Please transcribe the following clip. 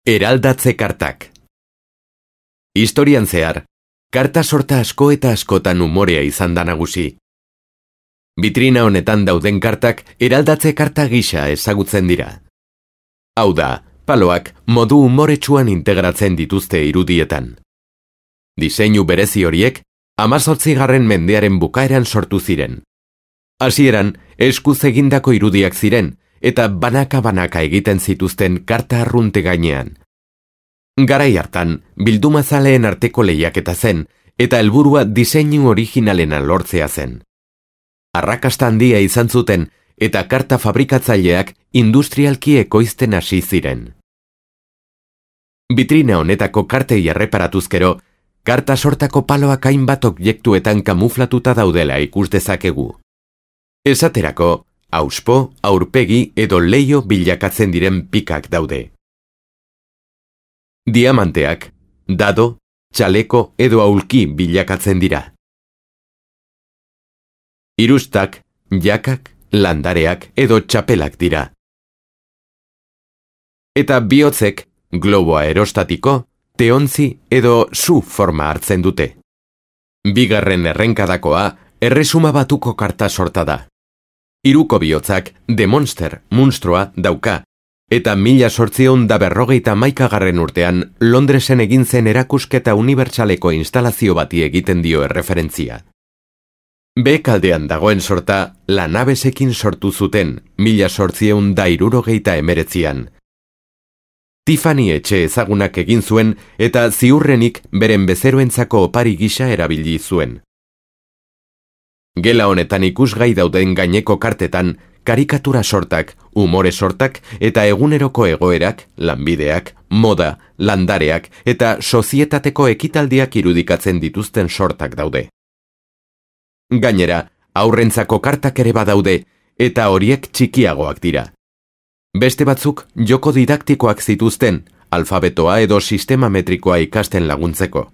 Eraldatze kartak. Historian zehar, karta sorta asko eta askotan umorea izan da nagusi. Bitrina honetan dauden kartak eraldatze karta gisa ezagutzen dira. Hau da, paloak modu umoretsuan integratzen dituzte irudietan. Diseinu berezi horiek 18. mendearen bukaeran sortu ziren. Hasieran, eskuz egindako irudiak ziren, eta banaka-banaka egiten zituzten karta arrunte gainean. Garai hartan, bildumazaleen arteko lehiaketa zen, eta helburua diseinu originalena lortzea zen. Arrakasta handia izan zuten, eta karta fabrikatzaileak industrialki ekoizten hasi ziren. Bitrina honetako kartei erreparatuzkero, karta sortako paloak hainbat objektuetan kamuflatuta daudela ikus dezakegu. Esaterako, auspo, aurpegi edo leiho bilakatzen diren pikak daude. Diamanteak, dado, txaleko edo aulki bilakatzen dira. Irustak, jakak, landareak edo txapelak dira. Eta bihotzek, globo aerostatiko, teontzi edo su forma hartzen dute. Bigarren errenkadakoa, erresuma batuko karta sorta da. Hiruko bihotzak The Monster, munstroa, dauka, eta 1851 urtean Londresen egin zen erakusketa unibertsaleko instalazio bati egiten dio erreferentzia. Behekaldean dagoen sorta Lanabesekin sortu zuten 1869an. Tiffany etxe ezagunak egin zuen eta ziurrenik beren bezeroentzako opari gisa erabili zuen. Gela honetan ikusgai dauden gaineko kartetan, karikatura sortak, umore sortak eta eguneroko egoerak, lanbideak, moda, landareak eta sozietateko ekitaldiak irudikatzen dituzten sortak daude. Gainera, haurrentzako kartak ere badaude eta horiek txikiagoak dira. Beste batzuk joko didaktikoak zituzten, alfabetoa edo sistema metrikoa ikasten laguntzeko.